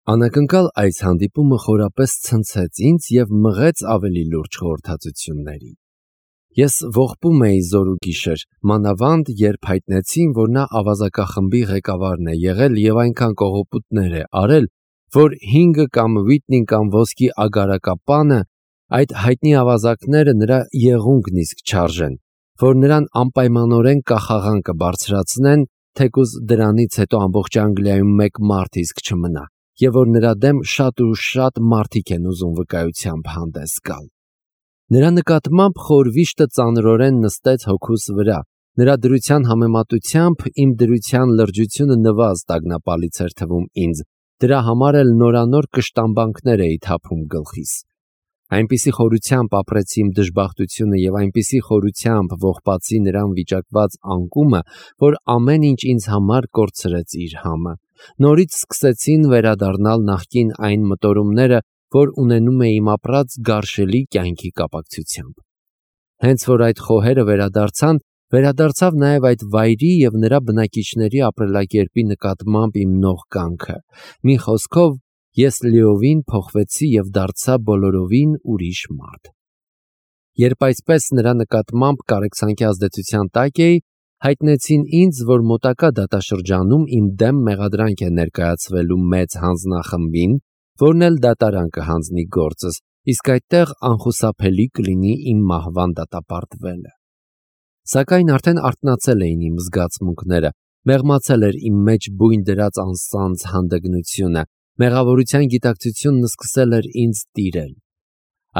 Անակնկալ այս հանդիպումը խորապես ցնցեց ինձ և մղեց ավելի լուրջ խորհրդածությունների։ Ես ողբում էի զոր ու գիշեր, մանավանդ երբ հայտնեցին, որ նա ավազակախմբի ղեկավարն է եղել և այնքան կողոպուտներ է արել, որ 5 կամ Վիտնի կամ ոսկի ագարակապանը, այդ հայտնի ավազակները նրա եղունգն իսկ չարժեն, որ նրան անպայմանորեն կախաղան կբարձրացնեն, թեկուզ դրանից հետո ամբողջ Անգլիայում մեկ մարդ իսկ չմնա, և որ նրա դեմ շատ ու շատ մարդիկ են ուզում վկայությամբ հանդես գալ։ Նրա նկատմամբ խորվիշտը ծանրորեն նստեց հոգուս վրա, նրա դրության համեմատությամբ իմ դրության լրջությունը նվազ տագնապալից էր թվում ինձ, դրա համար էլ նորանոր կշտամբանքներ էի թափում գլխիս։ Այնպիսի խորությամբ ապրեցի իմ դժբախտությունը և այնպիսի խորությամբ ողբացի նրան վիճակված անկումը, որ ամեն ինչ ինձ համար կորցրեց իր համը։ Նորից սկսեցին վերադառնալ նախկին այն մտորումները, որ ունենում էի իմ ապրած գարշելի կյանքի կապակցությամբ։ Հենց որ այդ խոհերը վերադարձավ նաև այդ վայրի և նրա բնակիչների ապրելակերպի նկատմամբ իմ նող կամքը։ Մի խոսքով, ես լիովին փոխվեցի և դարձա բոլորովին ուրիշ մարդ։ Երբ այսպես նրա նկատմամբ կարեկցանքի ազդեցության տակ էի, հայտնեցին ինձ, որ մոտակա դատաշրջանում իմ դեմ մեղադրանք է ներկայացվելու մեծ հանձնախմբին, որն էլ դատարան կհանձնի գործս, իսկ այդտեղ անխուսափելի կլինի իմ մահվան դատապարտվելը։ Սակայն արդեն արթնացել էին իմ զգացմունքները, մեղմացել էր իմ մեջ բույն դրած անսանձ հանդգնությունը, մեղավորության գիտակցությունն սկսել էր ինձ տիրել։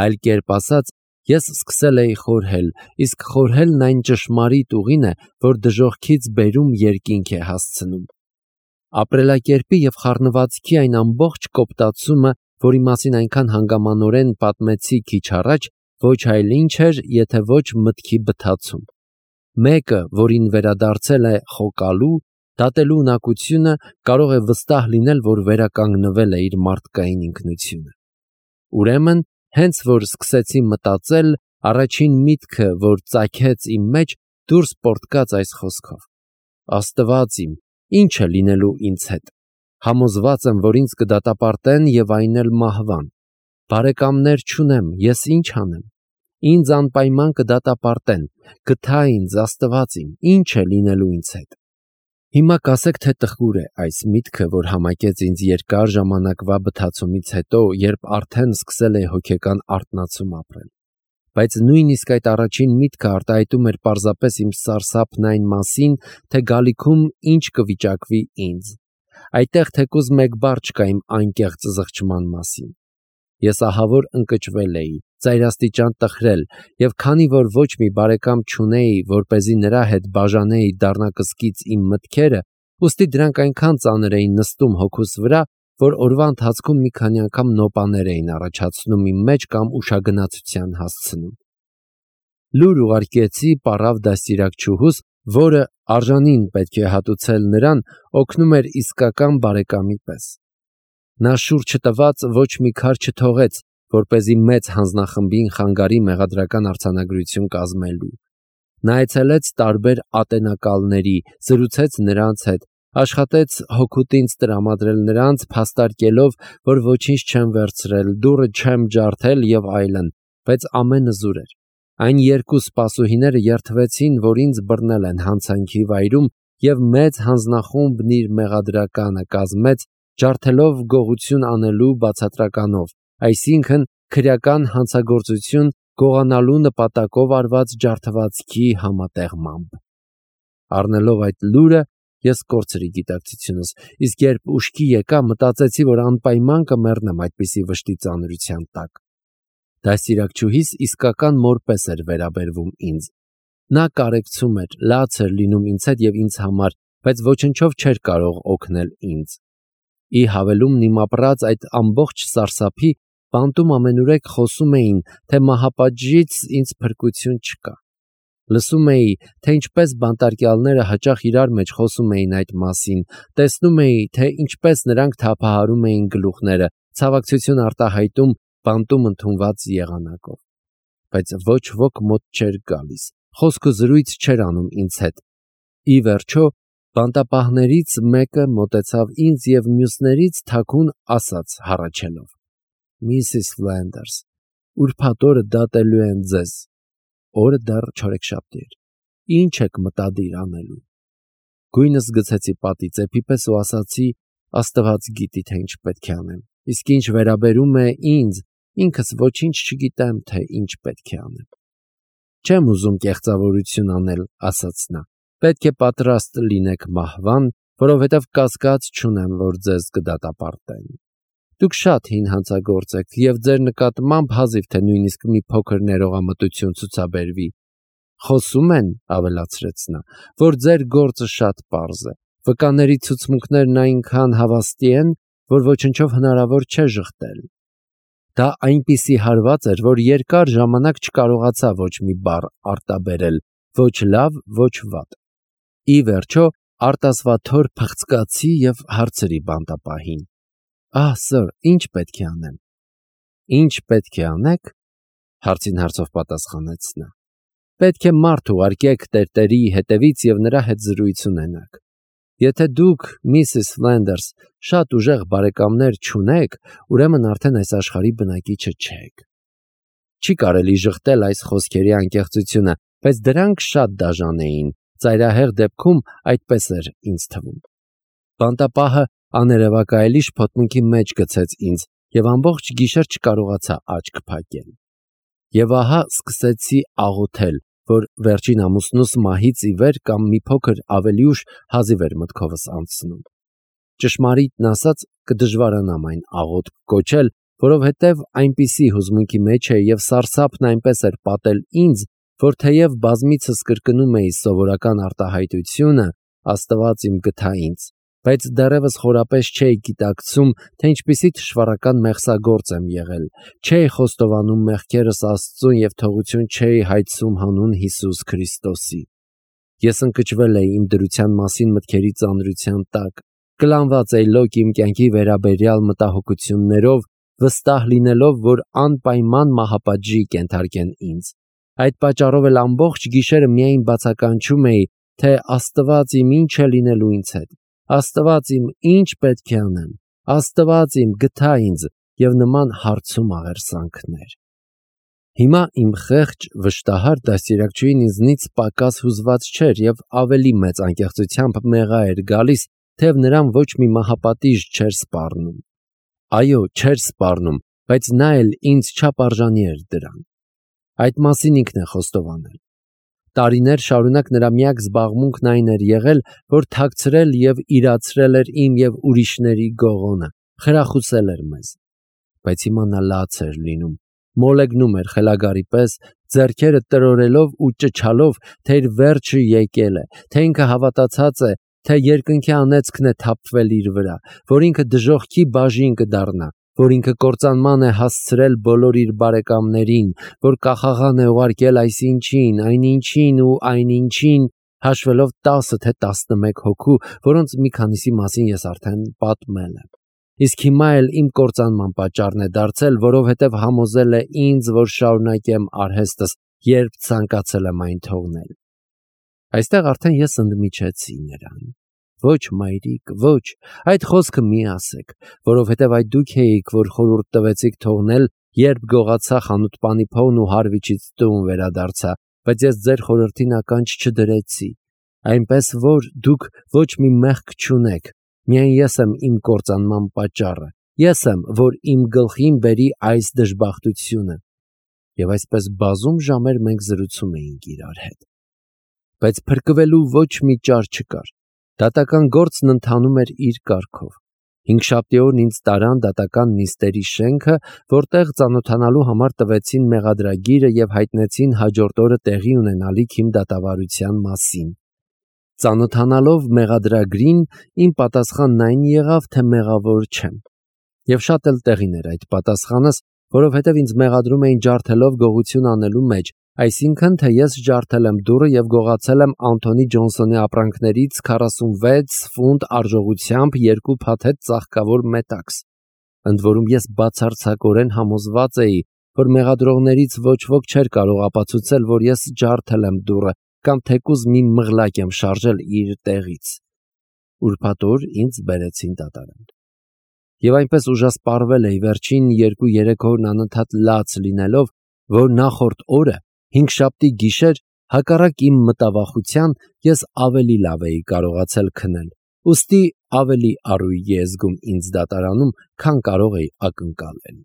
Այլ կերպ ասած, ես սկսել էի խորհել, իսկ խորհելն այն ճշմարիտ ուղին է, որ դժոխքից բերում երկինք է հասցնում։ Ապրելակերպի և խառնվածքի այն ամբողջ կոպտացումը, որի մասին այնքան հանգամանորեն պատմեցի քիչ առաջ, ոչ այլ ինչ էր, եթե ոչ մտքի բթացում։ Մեկը, որին վերադարձել է խոկալու, դատելու ունակությունը, կարող է վստահ լինել, որ վերականգնվել է իր մարդկային ինքնությունը։ Ուրեմն, հենց որ սկսեցի մտածել, առաջին միտքը, որ ծագեց իմ մեջ, դուրս պոռթկաց այս խոսքով. Աստված իմ, ի՞նչ է լինելու ինձ հետ։ Համոզված եմ, որ ինձ կդատապարտեն և այն էլ մահվան։ Բարեկամներ չունեմ, ես ինչ անեմ։ Ինձ անպայման կդատապարտեն, գթա ինձ, Աստված իմ, ի՞նչ է լինելու ինձ հետ։ Հիմա կասեք, թե տխուր է այս միտքը, որ համակեց ինձ երկար ժամանակվա բթացումից հետո, երբ արդեն սկսել էի հոգեկան արթնացում ապրել։ Բայց նույնիսկ այդ առաջին միտքը արտահայտում էր պարզապես իմ սարսափն այն մասին, թե գալիքում ինչ կվիճակվի ինձ։ Այդտեղ թեկուզ մեկ բառ չկա իմ անկեղծ զղջման մասին։ Ես ահավոր ընկճվել էի, ծայրաստիճան տխրել, և քանի որ ոչ մի բարեկամ չունեի, որպեսզի նրա հետ բաժանեի դառնակսկից իմ մտքերը, ուստի դրանք այնքան ծանր էին նստում հոգուս վրա, որ օրվա ընթացքում մի քանի անգամ նոպաներ էին առաջացնում իմ մեջ կամ ուշագնացության հասցնում։ Լուր ուղարկեցի պառավ դաստիարակչուհուս, որը արժանին պետք է հատուցել նրան, օգնում էր իսկական բարեկամի պես։ Նա շուռ չտված ոչ մի քար չթողեց, որպեսզի մեծ հանձնախմբին խանգարի մեղադրական արձանագրություն կազմելու։ Նա այցելեց տարբեր ատենակալների, զրուցեց նրանց հետ, աշխատեց հօգուտ ինձ տրամադրել նրանց, փաստարկելով, որ ոչինչ չեմ վերցրել, դուռը չեմ ջարդել և այլն, բայց ամենը զուր էր։ Այն երկու սպասուհիները երդվեցին, որ ինձ բռնել են հանցանքի վայրում, և մեծ հանձնախումբն իր մեղադրականը կազմեց, ջարդելով գողություն անելու բացատրականով, այսինքն քրեական հանցագործություն գողանալու նպատակով արված ջարդվածքի համատեղմամբ։ Առնելով այդ լուրը, ես կորցրի գիտակցությունս, իսկ երբ ուշքի եկա, մտածեցի, որ անպայման կմեռնեմ այդպիսի վշտի ծանրության տակ։ Դաստիարակչուհիս իսկական մոր պես էր վերաբերվում ինձ։ Նա կարեկցում էր, լաց էր լինում ինձ հետ և ինձ համար, բայց ոչնչով չէր կարող օգնել ինձ։ Ի հավելումն իմ ապրած այդ ամբողջ սարսափի, բանտում ամենուրեք խոսում էին, թե մահապատժից ինձ փրկություն չկա։ Լսում էի, թե ինչպես բանտարկյալները հաճախ իրար մեջ խոսում էին այդ մասին, տեսնում էի, թե ինչպես նրանք թափահարում էին գլուխները, ցավակցություն արտահայտում բանտում ընդունված եղանակով։ Բայց ոչ ոք մոտ չէր գալիս, խոսք ու զրույց չէր անում ինձ հետ։ Ի վերջո, Բանտապահներից մեկը մոտեցավ ինձ և մյուսներից թաքուն ասաց հառաչելով. «Միսիս Ֆլենդերս, ուրբաթ օրը դատելու են ձեզ»։ Օրը դեռ չորեքշաբթի էր։ Ինչ եք մտադիր անելու։ Գույնս գցեցի պատի ծեփի պես ու ասացի. Աստված գիտի, թե ինչ պետք է անեմ։ Իսկ ինչ վերաբերում է ինձ, ինքս ոչինչ չգիտեմ, թե ինչ պետք է անեմ։ Չեմ ուզում կեղծավորություն անել, ասաց նա։ Պետք է պատրաստ լինեք մահվան, որովհետև կասկած չունեմ, որ ձեզ կդատապարտեն։ Դուք շատ հին հանցագործ եք, և ձեր նկատմամբ հազիվ թե նույնիսկ մի փոքր ներողամտություն ցուցաբերվի։ Խոսում են, ավելացրեց նա, որ ձեր գործը շատ պարզ է։ Վկաների ցուցմունքներն այնքան հավաստի են, որ ոչնչով հնարավոր չէ ժխտել։ Դա այնպիսի հարված էր, որ երկար ժամանակ չկարողացա ոչ մի բառ արտաբերել, ոչ լավ, ոչ վատ։ Ի վերջո արտասվաթոր փղծկացի և հարցրի բանտապահին. սըր, ինչ պետք է անեմ։ Ինչ պետք է անեք, հարցին հարցով պատասխանեց նա։ Պետք է մարդ ուղարկեք տերտերի հետևից և նրա հետ զրույց ունենաք։ Եթե դուք, Միսիս Ֆլենդերս, շատ ուժեղ բարեկամներ չունեք, ուրեմն արդեն այս աշխարհի բնակիչը չեք։ Չի կարելի ժխտել այս խոսքերի անկեղծությունը, բայց դրանք շատ դաժան էին, ծայրահեղ դեպքում այդպես էր ինձ թվում։ Բանտապահը աներևակայելի շփոթմունքի մեջ գցեց ինձ և ամբողջ գիշեր չկարողացա աչք փակել։ Եվ ահա սկսեցի աղոթել, որ վերջին ամուսնուս մահից ի վեր կամ մի փոքր ավելի ուշ հազիվ էր մտքովս անցնում։ Ճշմարիտն ասած, կդժվարանամ այն աղոթք կոչել, որովհետև այնպիսի հուզմունքի մեջ էի և սարսափն այնպես էր պատել ինձ, որ թեև բազմիցս կրկնում էի սովորական արտահայտությունը «Աստված իմ գթա ինձ», բայց դեռևս խորապես չէի գիտակցում, թե ինչպիսի թշվառական մեղսագործ եմ եղել, չէի խոստովանում մեղքերս Աստծուն և թողություն չէի հայցում հանուն Հիսուս Քրիստոսի։ Ես ընկճվել էի իմ դրության մասին մտքերի ծանրության տակ, կլանված էի լոկ իմ կյանքի վերաբերյալ մտահոգություններով, վստահ լինելով, որ անպայման մահապատժի կենթարկեն ինձ։ Այդ պատճառով էլ ամբողջ գիշերը միայն բացականչում էի, թե Աստված իմ ինչ է լինելու ինձ հետ, Աստված իմ ինչ պետք է անեմ, Աստված իմ գթա ինձ և նման հարցում աղերսանքներ։ Հիմա իմ խեղճ, վշտահար դաստիարակչուհին ինձնից պակաս հուզված չէր և ավելի մեծ անկեղծությամբ մեղա էր գալիս, թեև նրան ոչ մի մահապատիժ չէր սպառնում։ Այո, չէր սպառնում, բայց նա էլ ինձ չափարժանի էր դրան։ Այդ մասին ինքն է խոստովանել։ Տարիներ շարունակ նրա միակ զբաղմունքն այն էր եղել, որ թաքցրել և իրացրել էր իմ և ուրիշների գողոնը, խրախուսել էր մեզ։ Բայց հիմա նա լաց էր լինում, մոլեգնում էր խելագարի պես, ձեռքերը տրորելով ու ճչալով, թե իր վերջը եկել է, թե ինքը հավատացած է, թե երկնքի անեծքն է թափվել իր վրա, որ ինքը դժոխքի բաժին կդառնա, որ ինքը կործանման է հասցրել բոլոր իր բարեկամներին, որ կախաղան է ուղարկել այսինչին, այնինչին ու այնինչին, հաշվելով 10 թե 11 հոգու, որոնց մի քանիսի մասին ես արդեն պատմել եմ։ Իսկ հիմա էլ իմ կործանման պատճառն է դարձել, որովհետև համոզել է ինձ, որ շարունակեմ արհեստս, երբ ցանկացել եմ այն թողնել։ Այստեղ արդեն ես ընդմիջեցի նրան։ Ոչ, մայրիկ, ոչ, այդ խոսքը մի ասեք, որովհետև այդ դուք էիք, որ խորհուրդ տվեցիք թողնել, երբ գողացա խանութպանի փողն ու Հարվիչից տուն վերադարձա, բայց ես ձեր խորհրդին ականջ չդրեցի, այնպես որ դուք ոչ մի մեղք չունեք, միայն ես եմ իմ կործանման պատճառը, ես եմ, որ իմ գլխին բերի այս դժբախտությունը։ Եվ այսպես բազում ժամեր մենք զրուցում էինք իրար հետ։ Բայց փրկվելու ոչ մի ճար չկար։ Դատական գործն ընթանում էր իր կարգով։ Հինգշաբթի օրն ինձ տարան դատական նիստերի շենքը, որտեղ ծանոթանալու համար տվեցին մեղադրագիրը և հայտնեցին հաջորդ օրը տեղի ունենալիք իմ դատավարության մասին։ Ծանոթանալով մեղադրագրին, իմ պատասխանն այն եղավ, թե մեղավոր չեմ։ Եվ շատ էլ տեղին էր այդ պատասխանս, որովհետև ինձ մեղադրում էին ջարդելով գողություն անելու մեջ, այսինքն, թե ես ջարդել եմ դուռը և գողացել եմ Անթոնի Ջոնսոնի ապրանքներից 46 ֆունտ արժողությամբ 2 փաթեթ ծաղկավոր մետաքս։ Ընդ որում ես բացարձակորեն համոզված էի, որ մեղադրողներից ոչ ոք չէր կարող ապացուցել, որ ես ջարդել եմ դուռը կամ թեկուզ մի մղլակ եմ շարժել իր տեղից։ ուրբաթ օր ինձ բերեցին դատարան։ Եվ այնպես ուժասպառվել էի վերջին 2-3 օրն անընդհատ լաց լինելով, որ նախորդ օրը հինգշաբթի գիշեր հակառակ իմ մտավախության ես ավելի լավ էի կարողացել քնել, ուստի ավելի առույգ էի զգում ինձ դատարանում, քան կարող էի ակնկալել։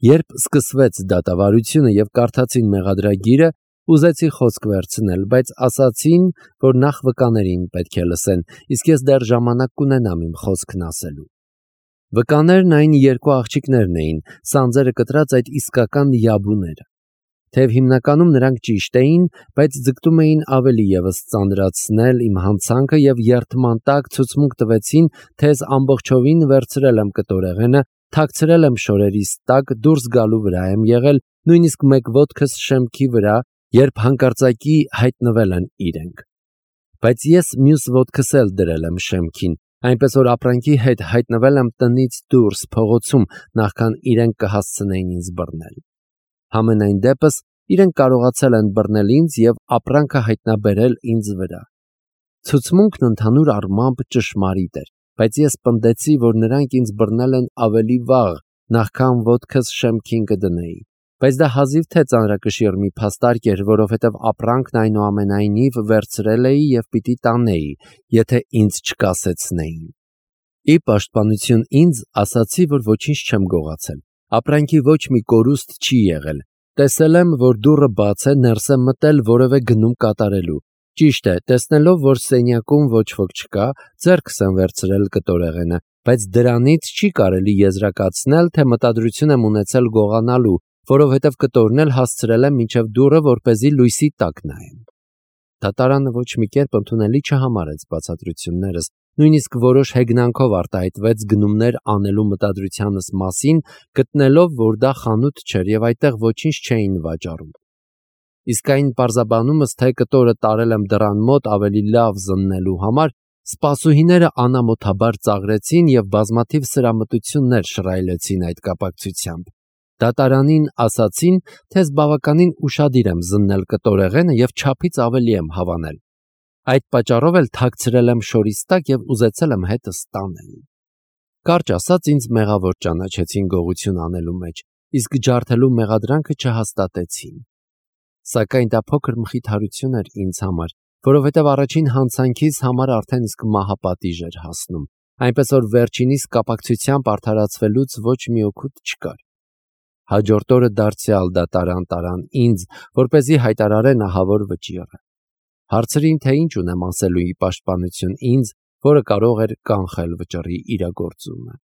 Երբ սկսվեց դատավարությունը եւ կարդացին մեղադրագիրը, ուզեցի խոսք վերցնել, բայց ասացին, որ նախ վկաներին պետք է լսեն, իսկ ես դեռ ժամանակ կունենամ իմ խոսքն ասելու։ Վկաներն այն երկու աղջիկներն էին, սանձերը կտրած այդ իսկական յաբուները։ Թեև հիմնականում նրանք ճիշտ էին, բայց ձգտում էին ավելի ևս ծանրացնել իմ հանցանքը եւ երդման տակ ցուցմունք տվեցին, թե ես ամբողջովին վերցրել եմ կտորեղենը, թաքցրել եմ շորերիս տակ, դուրս գալու վրա եմ եղել, նույնիսկ մեկ ոտքս շեմքի վրա, երբ հանկարծակի հայտնվել են իրենք։ Բայց ես մյուս ոտքս էլ դրել եմ շեմքին, այնպես որ ապրանքի հետ հայտնվել եմ տնից դուրս փողոցում, նախքան իրենք կհասցնեին ինձ բռնել։ Համենայն դեպս իրենք կարողացել են բռնել ինձ եւ ապրանքը հայտնաբերել ինձ վրա։ Ցուցմունքն ընդհանուր առմամբ ճշմարիտ էր, բայց ես պնդեցի, որ նրանք ինձ բռնել են ավելի վաղ, նախքան ոտքս շեմքին կդնեի։ Բայց դա հազիվ թե ծանրակշիռ մի փաստարկ էր, որովհետև ապրանքն այնուամենայնիվ վերցրել էի եւ պիտի տանեի, եթե ինձ չկասեցնեին։ Ի պաշտպանություն ինձ ասացի, որ ոչինչ չեմ գողացել։ Ապրանքի ոչ մի կորուստ չի եղել։ Տեսել եմ, որ դուռը բաց է, ներս եմ մտել որևէ գնում կատարելու։ Ճիշտ է, տեսնելով, որ սենյակում ոչ ոք չկա, ձեռքս եմ վերցրել կտորեղենը, բայց դրանից չի կարելի եզրակացնել, թե մտադրություն եմ ունեցել գողանալու, որովհետև կտորն էլ հասցրել եմ մինչև դուռը, որպեսզի լույսի տակ նայեմ։ Դատարանը ոչ մի կերպ ընդունելի չհամարեց բացատրություններս, նույնիսկ որոշ հեգնանքով արտահայտվեց գնումներ անելու մտադրությանս մասին, գտնելով, որ դա խանութ չէր եւ այդտեղ ոչինչ չէին վաճառում։ Իսկ այն պարզաբանումս, թե կտորը տարել եմ դռան մոտ ավելի լավ զննելու համար, սպասուհիները անամոթաբար ծաղրեցին եւ բազմաթիվ սրամտություններ շռայլեցին այդ կապակցությամբ։ Դատարանին ասացին, թե ես բավականին ուշադիր եմ զննել կտորեղենը եւ չափից ավելի եմ հավանել։ Այդ պատճառով էլ թաքցրել եմ շորից տակ եւ ուզեցել եմ հետս տանել։ Կարճ ասած, ինձ մեղավոր ճանաչեցին գողություն անելու մեջ, իսկ ջարդելու մեղադրանքը չհաստատեցին։ Սակայն դա փոքր մխիթարություն էր ինձ համար, որովհետև առաջին հանցանքիս համար արդեն իսկ մահապատիժ էր հասնում, այնպես որ վերջինիս կապակցությամբ արդարացվելուց ոչ մի օգուտ չկար։ Հաջորդ օրը դարձյալ դատարան տարան ինձ, որպեսզի հայտարարեն ահավոր վճիռը։ Հարցրին, թե ինչ ունեմ ասելու ի պաշտպանություն ինձ, որը կարող էր կանխել վճռի իրագործումը։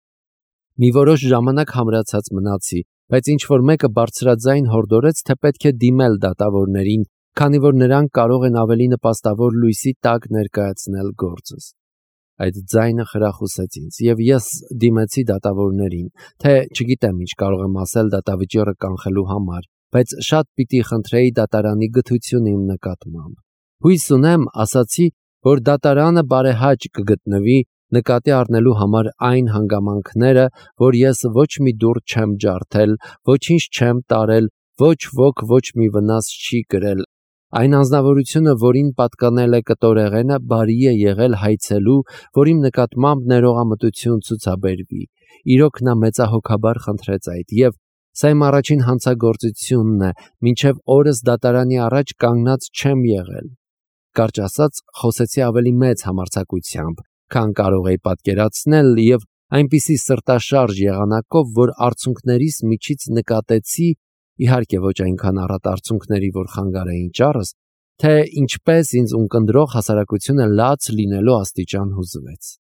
Մի որոշ ժամանակ համրացած մնացի, բայց ինչ-որ մեկը բարձրաձայն հորդորեց, թե պետք է դիմել դատավորներին, քանի որ նրանք կարող են ավելի նպաստավոր լույսի տակ ներկայացնել գործս։ Այդ ձայնը խրախուսեց ինձ, եւ ես դիմեցի դատավորներին, թե չգիտեմ ինչ կարող եմ ասել դատավճիռը կանխելու համար, բայց շատ պիտի խնդրեի դատարանի գթությունը իմ նկատմամբ։ Հույս ունեմ, ասացի, որ դատարանը բարեհաճ կգտնվի նկատի առնելու համար այն հանգամանքները, որ ես ոչ մի դուռ չեմ ջարդել, ոչինչ չեմ տարել, ոչ ոք ոչ մի վնաս չի կրել։ Այն անձնավորությունը, որին պատկանել է կտորեղենը, բարի է եղել հայցելու, որ իմ նկատմամբ ներողամտություն ցուցաբերվի։ Իրոք նա մեծահոգաբար խնդրեց այդ, եւ սա իմ առաջին հանցագործությունն է, մինչև օրս դատարանի առաջ կանգնած չեմ եղել։ Կարճ ասած, խոսեցի ավելի մեծ համարձակությամբ, քան կարող էի պատկերացնել, եւ այնպիսի սրտաշարժ եղանակով, որ արցունքներիս միջից նկատեցի, իհարկե ոչ այնքան առատ արցունքների, որ խանգարեին ճառս, թե ինչպես ինձ ունկնդրող հասարակությունը լաց լինելու աստիճան հուզվեց։